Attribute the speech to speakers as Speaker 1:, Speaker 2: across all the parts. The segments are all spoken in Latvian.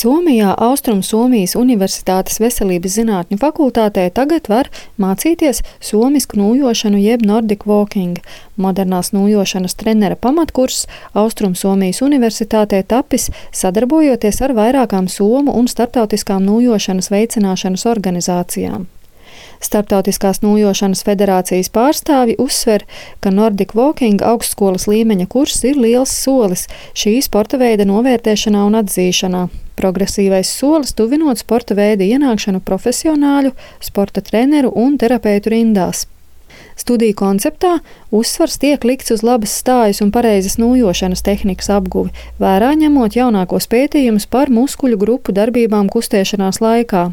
Speaker 1: Somijā Austrumsomijas Universitātes veselības zinātņu fakultātē tagad var mācīties somisku nūjošanu jeb Nordic Walking. Modernās nūjošanas trenera pamatkurs Austrumsomijas Universitātē tapis sadarbojoties ar vairākām somu un starptautiskām nūjošanas veicināšanas organizācijām. Starptautiskās nūjošanas federācijas pārstāvji uzsver, ka Nordic Walking augstskolas līmeņa kurs ir liels solis šī sporta veida novērtēšanā un atzīšanā. Progresīvais solis tuvinot sporta veida ienākšanu profesionāļu, sporta treneru un terapeitu rindās. Studiju konceptā uzsvars tiek likts uz labas stājas un pareizas nūjošanas tehnikas apguvi, vērā ņemot jaunākos pētījumus par muskuļu grupu darbībām kustēšanās laikā.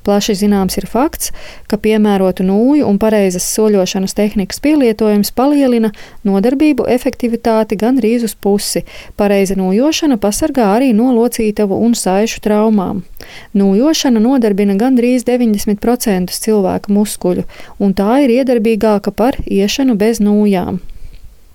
Speaker 1: Plaši zināms ir fakts, ka piemērotu nūju un pareizas soļošanas tehnikas pielietojums palielina nodarbību efektivitāti gandrīz uz pusi. Pareiza nūjošana pasargā arī no locītavu un saišu traumām. Nūjošana nodarbina gandrīz 90% cilvēka muskuļu, un tā ir iedarbīgāka par iešanu bez nūjām.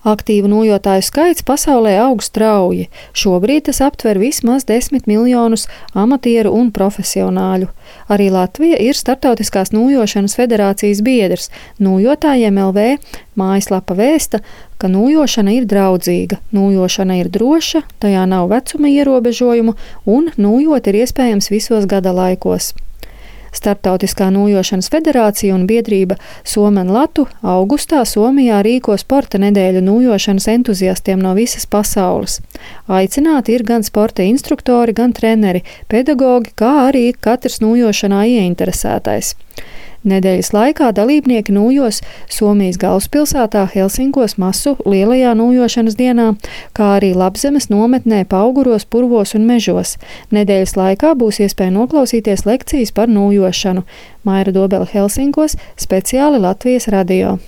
Speaker 1: Aktīvu nūjotāju skaits pasaulē aug strauji. Šobrīd tas aptver vismaz 10 miljonus amatieru un profesionāļu. Arī Latvija ir Startautiskās nūjošanas federācijas biedrs. Nūjotājiem LV mājaslapa vēsta, ka nūjošana ir draudzīga, nūjošana ir droša, tajā nav vecuma ierobežojumu un nūjot ir iespējams visos gada laikos. Starptautiskā nūjošanas federācija un biedrība Suomen Latu augustā Somijā rīko sporta nedēļu nūjošanas entuziastiem no visas pasaules. Aicināti ir gan sporta instruktori, gan treneri, pedagogi, kā arī katrs nūjošanā ieinteresētais. Nedēļas laikā dalībnieki nūjos Somijas galvaspilsētā Helsinkos masu lielajā nūjošanas dienā, kā arī Labzemes nometnē Pauguros, Purvos un Mežos. Nedēļas laikā būs iespēja noklausīties lekcijas par nūjošanu. Maira Dobele Helsinkos, speciāli Latvijas radio.